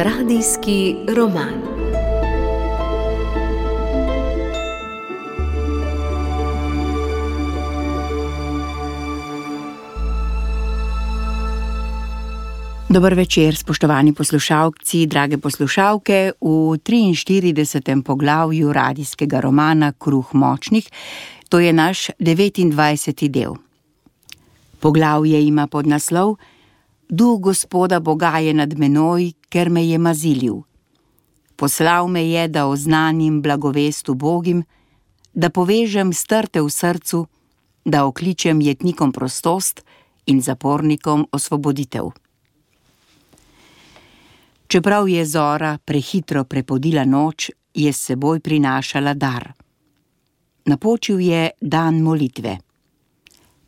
Radijski roman. Dober večer, spoštovani poslušalci, drage poslušalke, v 43. poglavju radijskega romana Kruh močnih, to je naš 29. del. Poglavje ima podnaslov Duh Gospoda Boga je nad menoj, ker me je mazilil. Poslal me je, da oznanim blagovest ubogim, da povežem strte v srcu, da okličem jetnikom prostost in zapornikom osvoboditev. Čeprav je zora prehitro prepodila noč, je s seboj prinašala dar. Napočil je dan molitve.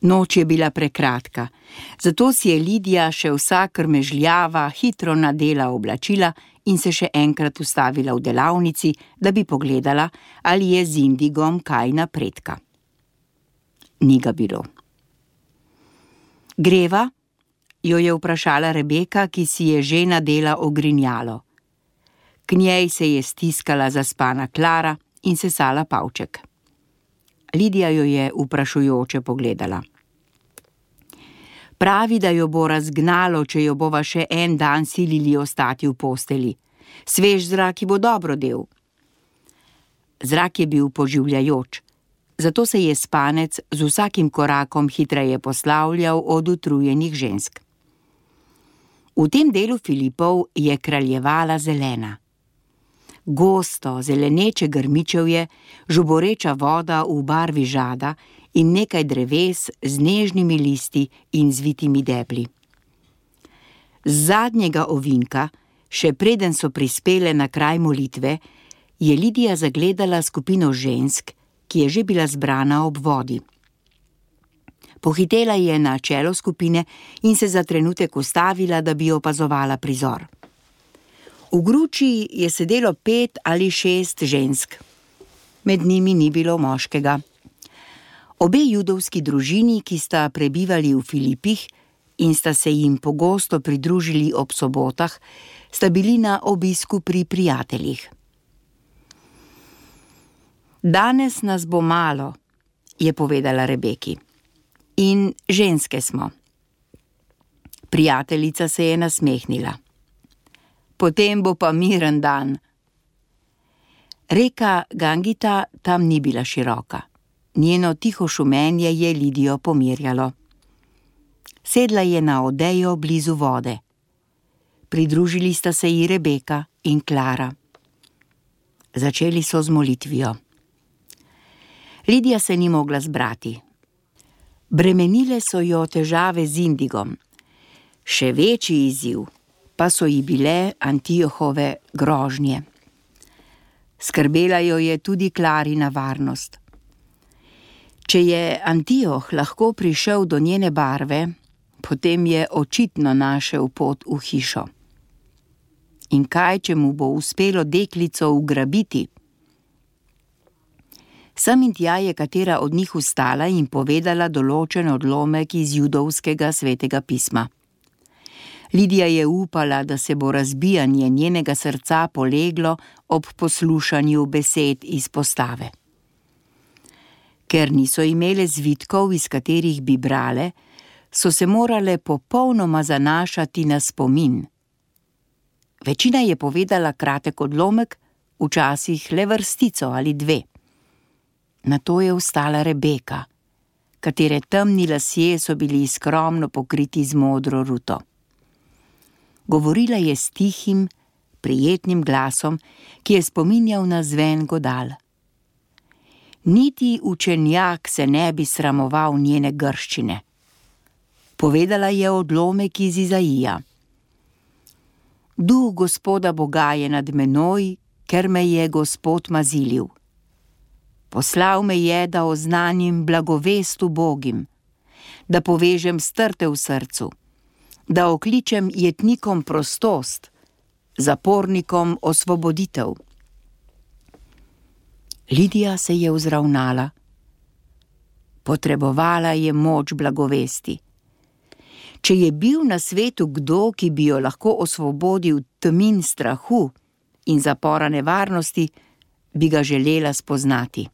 Noč je bila prekratka, zato si je Lidija še vsa krmežljava hitro nadela oblačila in se še enkrat ustavila v delavnici, da bi pogledala, ali je z Indigom kaj napredka. Ni ga bilo. Greva? Jo je vprašala Rebeka, ki si je že nadela ogrinjalo. K njej se je stiskala zaspana Klara in sesala pavček. Lidija jo je vprašujoče pogledala. Pravi, da jo bo razgnalo, če jo bova še en dan silili ostati v posteli. Svež zrak ji bo dobro del. Zrak je bil poživljajoč, zato se je spanec z vsakim korakom hitreje poslavljal od utrujenih žensk. V tem delu Filipov je kraljevala zelena. Gosto, zeleneče grmičevje, žuboreča voda v barvi žada in nekaj dreves z nežnimi listi in zvitimi debli. Z zadnjega ovinka, še preden so prispele na kraj molitve, je Lidija zagledala skupino žensk, ki je že bila zbrana ob vodi. Pohitela je na čelo skupine in se za trenutek ustavila, da bi opazovala prizor. V gruči je sedelo 5 ali 6 žensk. Med njimi ni bilo moškega. Obe judovski družini, ki sta prebivali v Filipih in sta se jim pogosto pridružili ob sobotah, sta bili na obisku pri prijateljih. Danes nas bo malo, je povedala Rebeki. In ženske smo. Prijateljica se je nasmehnila. Potem bo pa miren dan. Reka Gangita tam ni bila široka. Njeno tiho šumenje je Lidijo pomirjalo. Sedla je na odejo blizu vode. Pridružili sta se ji Rebeka in Klara. Začeli so z molitvijo. Lidija se ni mogla zbrati. Bremenile so jo težave z Indigom. Še večji izziv pa so ji bile Antiohove grožnje. Skrbela jo je tudi Klarina varnost. Če je Antioh lahko prišel do njene barve, potem je očitno našel pot v hišo. In kaj, če mu bo uspelo deklico ugrabiti? Sem in tja je katera od njih vstala in povedala določen odlomek iz judovskega svetega pisma. Lidija je upala, da se bo razbijanje njenega srca poleglo ob poslušanju besed iz postave. Ker niso imele zvitkov, iz katerih bi brale, so se morale popolnoma zanašati na spomin. Večina je povedala kratek odlomek, včasih le vrstico ali 2. Nato je vstala Rebeka, katere temni lasje so bili skromno pokriti z modro ruto. Govorila je s tihim, prijetnim glasom, ki je spominjal na zven godal. Niti učenjak se ne bi sramoval njene grščine. Povedala je odlomek iz Izaija. Duh Gospoda Boga je nad menoj, ker me je Gospod mazilil. Poslal me je, da oznanim blagovest ubogim, da povežem strte v srcu, da okličem jetnikom prostost, zapornikom osvoboditev. Lidija se je vzravnala. Potrebovala je moč blagovesti. Če je bil na svetu kdo, ki bi jo lahko osvobodil tmin strahu in zapora nevarnosti, bi ga želela spoznati.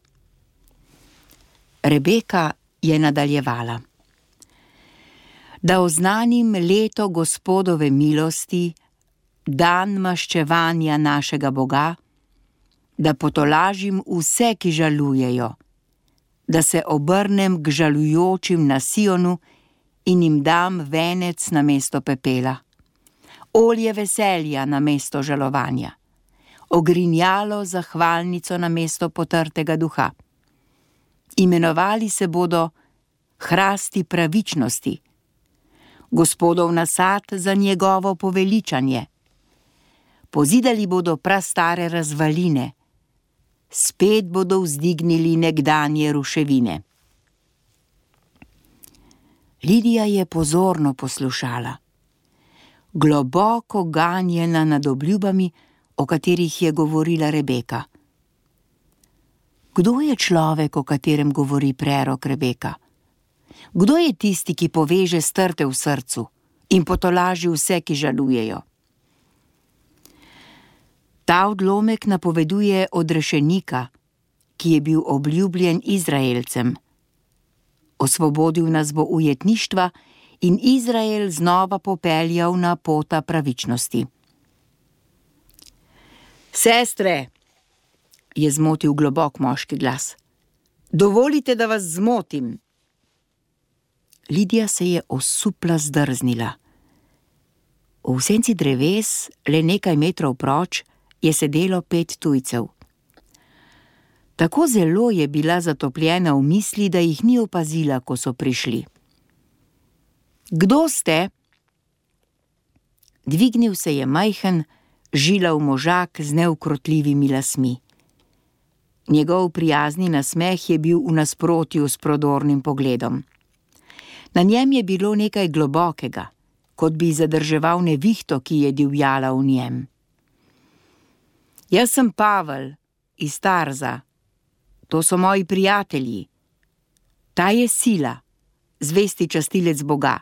Rebeka je nadaljevala. Da oznanim leto Gospodove milosti, dan maščevanja našega Boga, da potolažim vse, ki žalujejo, da se obrnem k žalujočim na Sionu in jim dam venec namesto pepela, olje veselja namesto žalovanja, ogrinjalo zahvalnico namesto potrtega duha. Imenovali se bodo hrasti pravičnosti, Gospodov nasad za njegovo poveličanje. Pozidali bodo prastare razvaline, spet bodo vzdignili nekdanje ruševine. Lidija je pozorno poslušala, globoko ganjena nad obljubami, o katerih je govorila Rebeka. Kdo je človek, o katerem govori prerok Rebeka? Kdo je tisti, ki poveže strte v srcu in potolaži vse, ki žalujejo? Ta odlomek napoveduje odrešenika, ki je bil obljubljen Izraelcem. Osvobodil nas bo ujetništva in Izrael znova popeljal na pota pravičnosti. Sestre, je zmotil globok moški glas, dovolite, da vas zmotim. Lidija se je osupla zdrznila. V senci dreves, le nekaj metrov proč, je sedelo 5 tujcev. Tako zelo je bila zatopljena v misli, da jih ni opazila, ko so prišli. Kdo ste? Dvignil se je majhen, žilav možak z neukrotljivimi lasmi. Njegov prijazni nasmeh je bil v nasprotju s prodornim pogledom. Na njem je bilo nekaj globokega, kot bi zadrževal nevihto, ki je divjala v njem. Jaz sem Pavel iz Tarza. To so moji prijatelji. Ta je Sila, zvesti častilec Boga,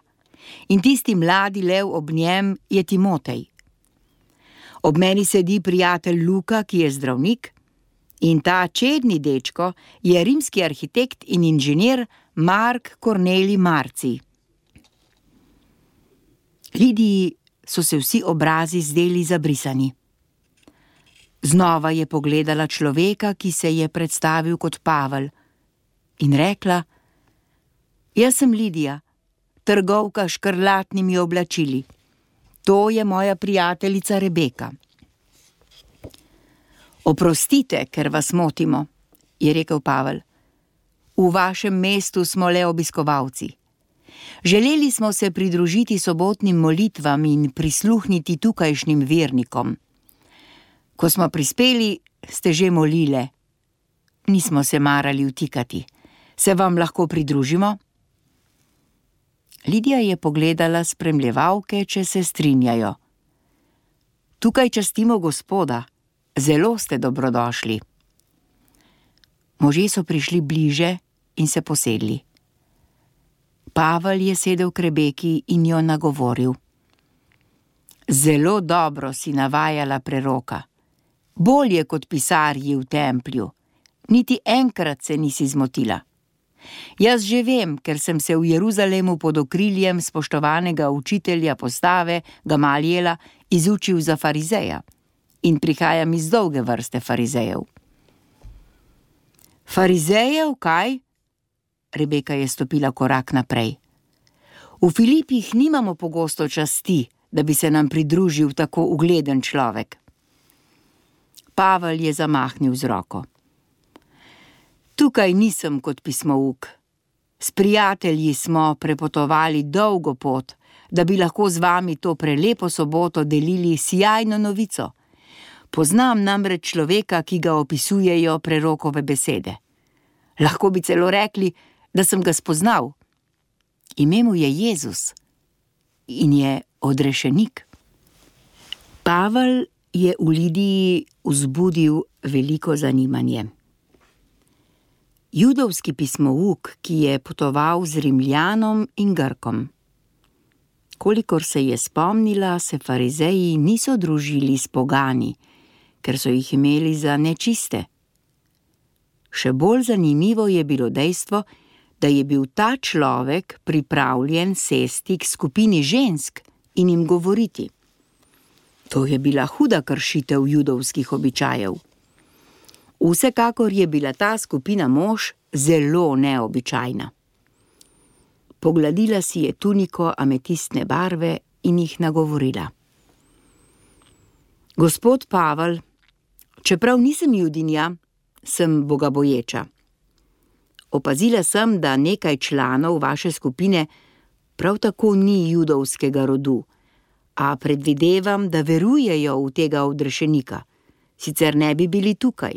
in tisti mladi lev ob njem je Timotej. Ob meni sedi prijatelj Luka, ki je zdravnik, in ta čedni dečko je rimski arhitekt in inženir Mark Kornelij Marci. Lidiji so se vsi obrazi zdeli zabrisani. Znova je pogledala človeka, ki se je predstavil kot Pavel, in rekla: Jaz sem Lidija, trgovka s škrlatnimi oblačili. To je moja prijateljica Rebeka. Oprostite, ker vas motimo, je rekel Pavel. V vašem mestu smo le obiskovalci. Želeli smo se pridružiti sobotnim molitvam in prisluhniti tukajšnjim vernikom. Ko smo prispeli, ste že molile. Nismo se marali vtikati. Se vam lahko pridružimo? Lidija je pogledala spremljevalke, če se strinjajo. Tukaj častimo Gospoda. Zelo ste dobrodošli. Možje so prišli bliže in se posedli. Pavel je sedel k Rebeki in jo nagovoril. Zelo dobro si navajala preroka. Bolje kot pisarji v templju. Niti enkrat se nisi zmotila. Jaz že vem, ker sem se v Jeruzalemu pod okriljem spoštovanega učitelja postave Gamalijela izučil za farizeja in prihajam iz dolge vrste farizejev. Farizejev, kaj? Rebeka je stopila korak naprej. V Filipih nimamo pogosto časti, da bi se nam pridružil tako ugleden človek. Pavel je zamahnil z roko. Tukaj nisem kot pismouk. S prijatelji smo prepotovali dolgo pot, da bi lahko z vami to prelepo soboto delili sijajno novico. Poznam namreč človeka, ki ga opisujejo prerokove besede. Lahko bi celo rekli, da sem ga spoznal. Ime mu je Jezus in je odrešenik. Pavel je v Lidiji vzbudil veliko zanimanje. Judovski pismouk, ki je potoval z Rimljanom in Grkom. Kolikor se je spomnila, se farizeji niso družili s pogani, ker so jih imeli za nečiste. Še bolj zanimivo je bilo dejstvo, da je bil ta človek pripravljen sesti k skupini žensk in jim govoriti. To je bila huda kršitev judovskih običajev. Vsekakor je bila ta skupina mož zelo neobičajna. Pogladila si je tuniko ametistne barve in jih nagovorila. Gospod Pavel, čeprav nisem Judinja, sem bogaboječa. Opazila sem, da nekaj članov vaše skupine prav tako ni judovskega rodu, a predvidevam, da verujejo v tega odrešenika, sicer ne bi bili tukaj.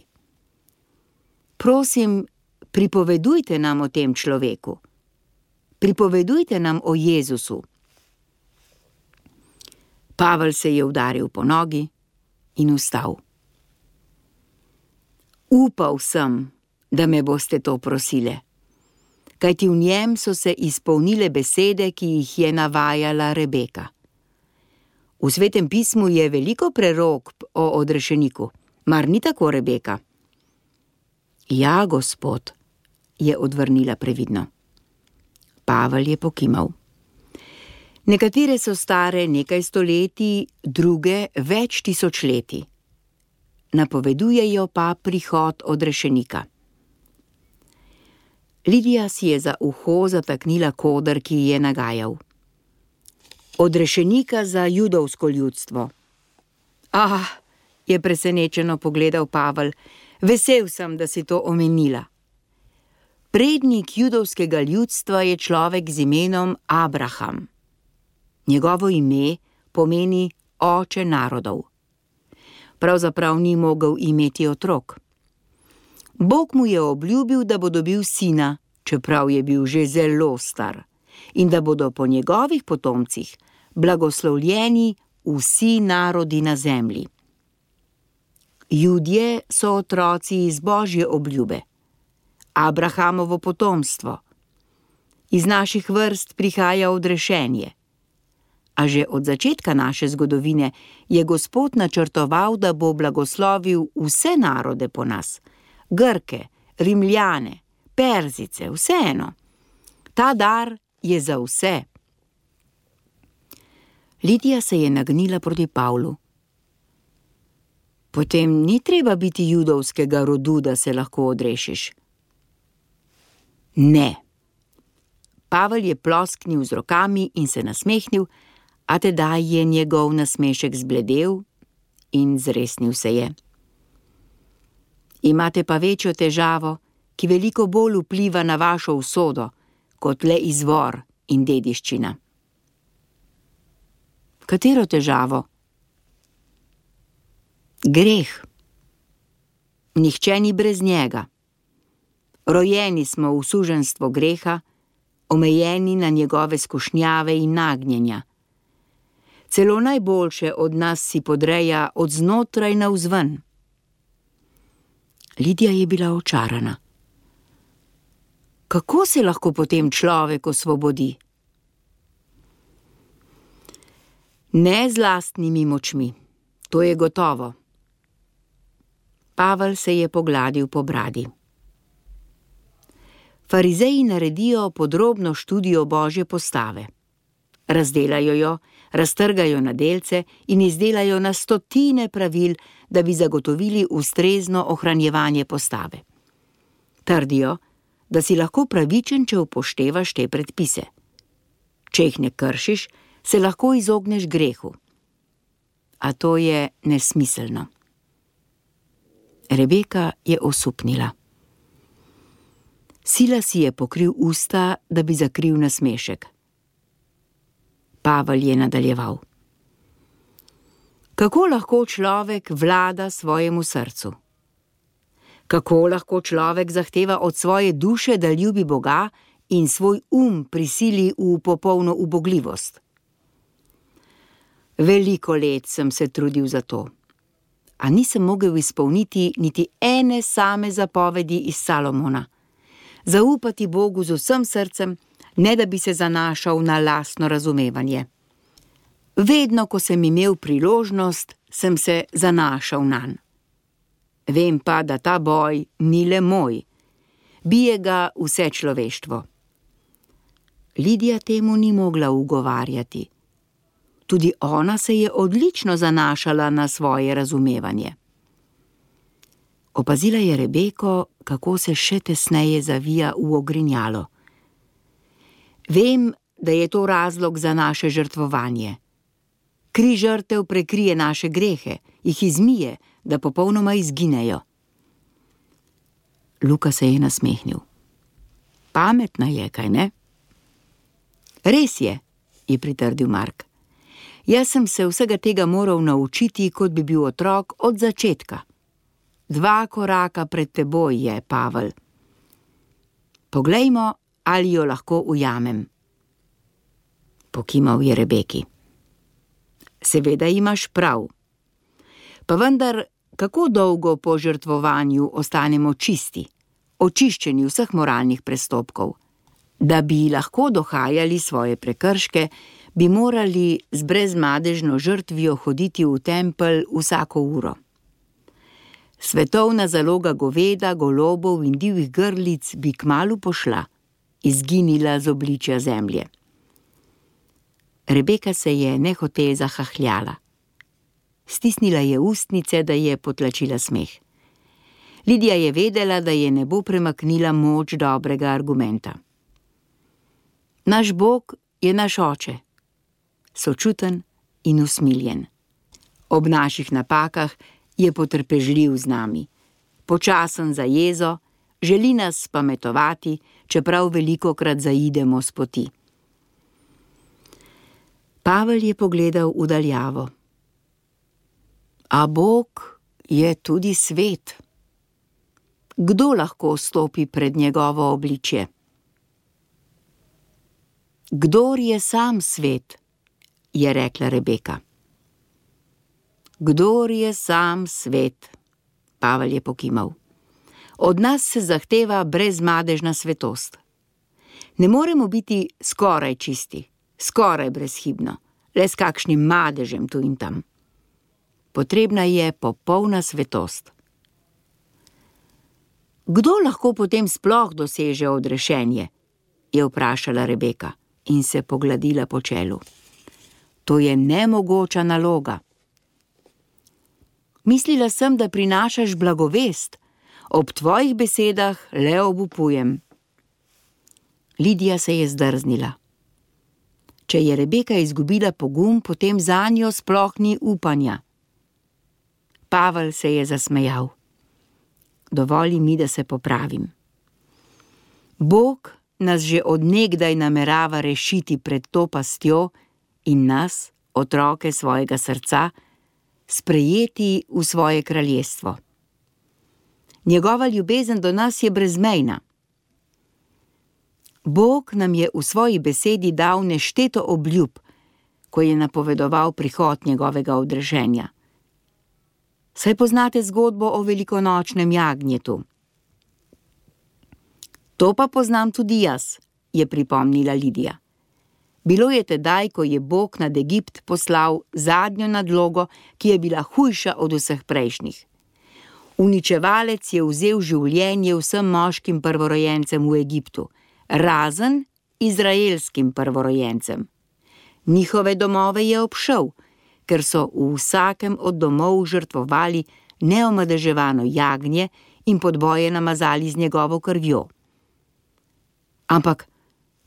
Prosim, pripovedujte nam o tem človeku. Pripovedujte nam o Jezusu. Pavel se je udaril po nogi in vstal. Upal sem, da me boste to prosile, kajti v njem so se izpolnile besede, ki jih je navajala Rebeka. V Svetem pismu je veliko prerok o odrešeniku, mar ni tako, Rebeka? Ja, gospod, je odvrnila previdno. Pavel je pokimal. Nekatere so stare nekaj stoletij, druge več tisočletij. Napovedujejo pa prihod odrešenika. Lidija si je za uho zataknila koder, ki je nagajal. Odrešenika za judovsko ljudstvo. Je presenečeno pogledal Pavel, vesel sem, da si to omenila. Prednik judovskega ljudstva je človek z imenom Abraham. Njegovo ime pomeni oče narodov. Pravzaprav ni mogel imeti otrok. Bog mu je obljubil, da bo dobil sina, čeprav je bil že zelo star, in da bodo po njegovih potomcih blagoslovljeni vsi narodi na zemlji. Judje so otroci iz Božje obljube, Abrahamovo potomstvo. Iz naših vrst prihaja odrešenje. A že od začetka naše zgodovine je Gospod načrtoval, da bo blagoslovil vse narode po nas, Grke, Rimljane, Perzice, vseeno. Ta dar je za vse. Lidija se je nagnila proti Pavlu. Potem ni treba biti judovskega rodu, da se lahko odrešiš. Ne. Pavel je plosknil z rokami in se nasmehnil, a tedaj je njegov nasmešek zbledel in zresnil se je. Imate pa večjo težavo, ki veliko bolj vpliva na vašo usodo, kot le izvor in dediščina. Katero težavo? Greh. Nihče ni brez njega. Rojeni smo v suženjstvo greha, omejeni na njegove skušnjave in nagnjenja. Celo najboljše od nas si podreja od znotraj navzven. Lidija je bila očarana. Kako se lahko potem človek osvobodi? Ne z lastnimi močmi, to je gotovo. Pavel se je pogladil po bradi. Farizeji naredijo podrobno študijo Božje postave. Razdelajo jo, raztrgajo na delce in izdelajo na stotine pravil, da bi zagotovili ustrezno ohranjevanje postave. Trdijo, da si lahko pravičen, če upoštevaš te predpise. Če jih ne kršiš, se lahko izogneš grehu. A to je nesmiselno. Rebeka je osupnila. Sila si je pokril usta, da bi zakril nasmešek. Pavel je nadaljeval. Kako lahko človek vlada svojemu srcu? Kako lahko človek zahteva od svoje duše, da ljubi Boga in svoj prisili v popolno ubogljivost? Veliko let sem se trudil za to, a nisem mogel izpolniti niti ene same zapovedi iz Salomona. Zaupati Bogu z vsem srcem, ne da bi se zanašal na lastno razumevanje. Vedno, ko sem imel priložnost, sem se zanašal nanj. Vem pa, da ta boj ni le moj. Bije ga vse človeštvo. Lidija temu ni mogla ugovarjati. Tudi ona se je odlično zanašala na svoje razumevanje. Opazila je Rebeko, kako se še tesneje zavija v ogrinjalo. Vem, da je to razlog za naše žrtvovanje. Kri žrtev prekrije naše grehe, jih izmije, da popolnoma izginejo. Luka se je nasmehnil. Pametna je, kaj ne? Res je pritrdil Mark. Jaz sem se vsega tega moral naučiti, kot bi bil otrok od začetka. 2 koraka pred teboj je, Pavel. Poglejmo, ali jo lahko ujamem. Pokimal je Rebeki. Seveda imaš prav. Pa vendar, kako dolgo po žrtvovanju ostanemo čisti, očiščeni vseh moralnih prestopkov? Da bi lahko dohajali svoje prekrške, bi morali z brezmadežno žrtvijo hoditi v tempelj vsako uro. Svetovna zaloga goveda, golobov in divjih grlic bi kmalu pošla, izginila z obličja zemlje. Rebeka se je nehote zahahljala. Stisnila je ustnice, da je potlačila smeh. Lidija je vedela, da je ne bo premaknila moč dobrega argumenta. Naš Bog je naš oče, sočuten in usmiljen. Ob naših napakah je potrpežljiv z nami, počasen za jezo, želi nas spametovati, čeprav velikokrat zaidemo s poti. Pavel je pogledal v daljavo. A Bog je tudi svet. Kdo lahko stopi pred njegovo obličje? Kdor je sam svet, je rekla Rebeka. Kdor je sam svet, Pavel je pokimal. Od nas se zahteva brezmadežna svetost. Ne moremo biti skoraj čisti, skoraj brezhibno, le s kakšnim madežem tu in tam. Potrebna je popolna svetost. Kdo lahko potem sploh doseže odrešenje? Je vprašala Rebeka in se pogladila po čelu. To je nemogoča naloga. Mislila sem, da prinašaš blagovest. Ob tvojih besedah le obupujem. Lidija se je zdrznila. Če je Rebeka izgubila pogum, potem zanjo sploh ni upanja. Pavel se je zasmejal. Dovoli mi, da se popravim. Bog nas že od nekdaj namerava rešiti pred to pastjo in nas, otroke svojega srca, sprejeti v svoje kraljestvo. Njegova ljubezen do nas je brezmejna. Bog nam je v svoji besedi dal nešteto obljub, ko je napovedoval prihod njegovega odrešenja. Saj poznate zgodbo o velikonočnem jagnjetu. To pa poznam tudi jaz, je pripomnila Lidija. Bilo je tedaj, ko je Bog nad Egipt poslal zadnjo nadlogo, ki je bila hujša od vseh prejšnjih. Uničevalec je vzel življenje vsem moškim prvorojencem v Egiptu, razen izraelskim prvorojencem. Njihove domove je obšel, ker so v vsakem od domov žrtvovali neomadeževano jagnje in podboje namazali z njegovo krvjo. Ampak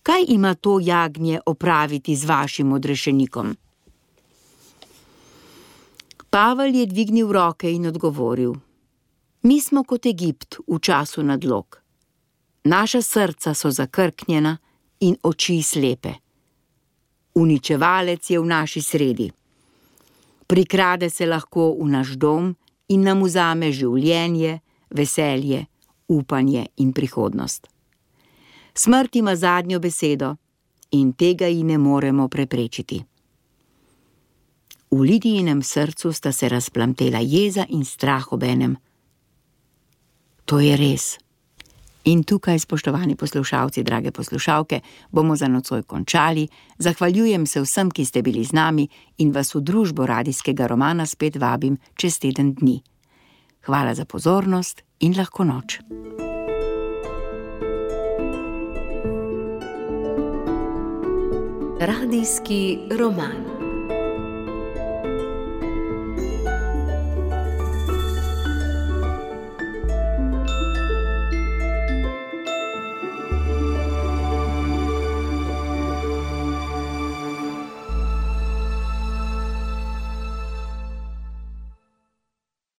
kaj ima to jagnje opraviti z vašim odrešenikom? Pavel je dvignil roke in odgovoril. Mi smo kot Egipt v času nadlog. Naša srca so zakrknjena in oči slepe. Uničevalec je v naši sredi. Prikrade se lahko v naš dom in nam vzame življenje, veselje, upanje in prihodnost. Smrt ima zadnjo besedo in tega ji ne moremo preprečiti. V Lidijinem srcu sta se razplamtela jeza in strah obenem. To je res. In tukaj, spoštovani poslušalci, drage poslušalke, bomo za nocoj končali. Zahvaljujem se vsem, ki ste bili z nami in vas v družbo radijskega romana spet vabim čez teden dni. Hvala za pozornost in lahko noč. Radijski roman.